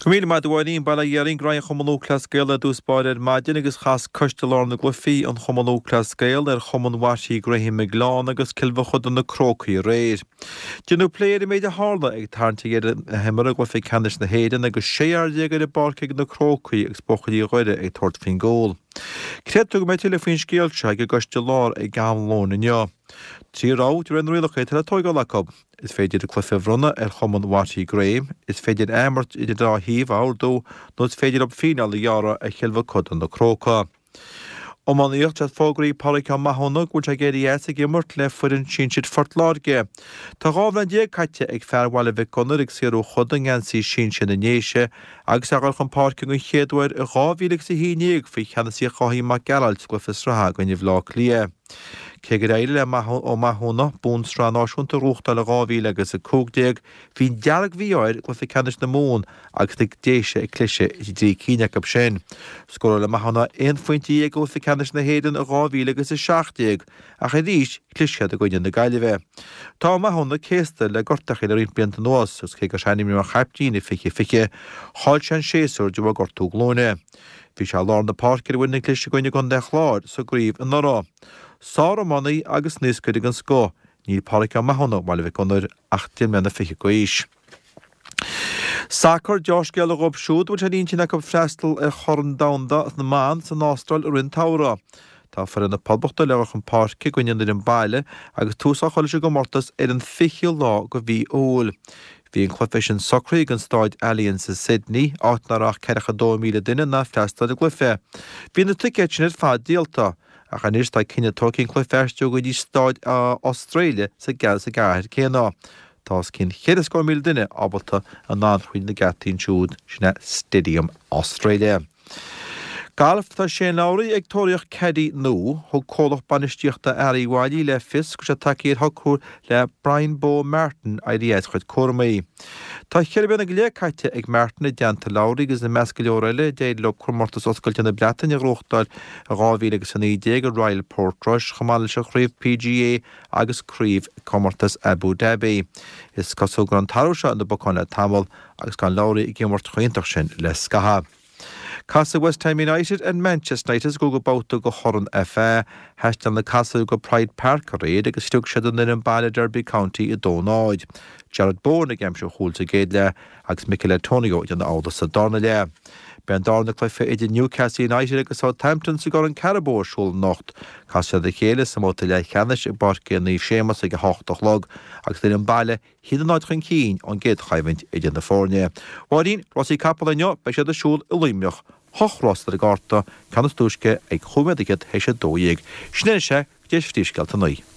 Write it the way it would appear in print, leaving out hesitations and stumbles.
Go raibh míle maith agat a Mháirín. Bail ó Dhia orainn go raibh an Chumann Lúthchleas Gael ar dtús báire ar maidin agus chas Coiste Lár na gCluichí an Chumann Lúthchleas Gael ar Chumann Mharty Graham ag Gleann agus Cill Mhochuda do na Crócaigh aréir. Déanadh plé ar an méid a tharla ag tarraingt ar dheireadh na himeartha i gcluiche ceannais na hÉireann agus 16 fhear ar an bpáirc ag na Crócaigh agus buachaillí Dhoire ag tabhairt faoin gcúl. Creidtear go mbeidh tuilleadh faoin scéal seo ag an gCoiste Lár ag am lóin inniu. Trí rogha de réir na rialacha atá le tóigeáil acu. Is féidir an cluiche a bhronnadh ar chumann Mharty Graham, is féidir athimirt idir an dá thaobh a ordú nó is féidir leo fíneáil a ghearradh ar Chill Mhochuda na Crócaigh. Iománaíocht, Tá fógraithe ag Pádraic Ó Mathúna go bhfuil sé ag éirí as ag imirt le foireann sinsir Phort Láirge. Tá 12 bhliain caite ag fear Bhaile Mhic Gonair ag saothrú choda i ngeansaí sinsir na nDéise agus é a dhul chun páirce den chéad uair i 2011 faoi cheannasaíocht Dháithí Mac Gearailt sa gcluiche sraithe i gcoinne Bhaile Átha Cliath. Cé gur éirigh le Ó Mathúna bonn sraith náisiúnta a ghnóthachtáil in 2015, bhí an dearg-mhí-ádh air i gcluiche ceannais na Mumhan agus na Déise ag cliseadh i dtrí cinn acu sin. Scóráil Ó Mathúna aon phointe dhéag i gcluiche ceannais na hÉireann in 2017 ach arís chlis siad i gcoinne na Gaillimhe. Tá Ó Mathúna céasta le gortachaí le roinnt blianta anuas agus cé gur ainmníodh mar chaiptín i 2020, chaill sé an séasúr de bharr gortú glúine. Bhí sé i lár na páirce ar an bhfoireann a chlis i gcoinne Chontae an Chláir sa gcraobh anuraidh. Sár-iománaí agus naoscaire den scoth, níl Pádraic Ó Mathúna ó Bhaile Mhic Gonair ach deich mbliana fichead d'aois. Sacar, Deá-scéala dhóibh siúd a bhfuil sé ar intinn acu freastal ar Chorn Domhanda na mBan san Astráil i rith an tsamhraidh. Tá foireann na Poblachta le dhul chun páirce i gcoinne an fhoireann baile agus tús á chur leis an gcomórtas ar an 20ú lá de mhí Iúil. Bhí an cluiche sin socraithe ag an Stáid Allianz i Sydney, áit nach raibh ach 42,000 duine in ann freastal ar an gcluiche. Bhí na ticéid sin ar fad díolta, ach anois tá cinneadh tógtha an cluiche a aistriú go dtí Stáid Australia sa gcathair céanna. Tá os cionn 400,000 duine ábalta in ann thríd na geataí ansiúd, sin é Stadium Australia. Galf, Tá Shane Lowry ag tóraíocht caddie nua. Thug comhlacht bainistíochta Ari Wylie le fios go bhfuil sé tagtha ar shocrú le Brian 'Bo' Martin éirí as a chuid cúramaí. Tá cheithre bliana go leith caite ag Martin i dteannta Lowry agus i measc go leor eile d'éirigh leo Comórtas Oscailte na Breataine a ghnóthachtáil i 2019 i Royal Portrush chomh maith leis an chraobh PGA agus craobh Comórtas Abu Dhabi. Is cosúil go raibh an t-athrú seo ina bpocán le tamall agus gan Lowry ag imirt chomh hiontach sin le scaitheamh. Casfaidh West Ham United ar Manchester United sa gcúigiú babhta de Chorn FA. Thaistil na Casaigh go Pride Park aréir agus shlog siad an fhoireann baile Derby County 2-0. Jarrod Bowen ag aimsiú an chúil sa gcéad leath agus Michail Antonio ag déanamh amhlaidh sa darna leath. Beidh an darna cluiche idir Newcastle United agus Southampton sa gCorn Carabao ar siúl anocht. Casfaidh siad a chéile sa mbabhta leathcheannais i bPáirc Naomh Séamas ag a hocht a chlog agus an fhoireann baile 1-0 chun cinn ón gcéad choimhlint idir na foirne. Máirín, Rásaí capall inniu, beidh siad ar siúl i Luimneach. Hocht rás ar an gcárta, ceann is túisce ag chúig nóiméad fhichead théis 12. Sin é anois é, go dtí phríomhscéalta a naoi.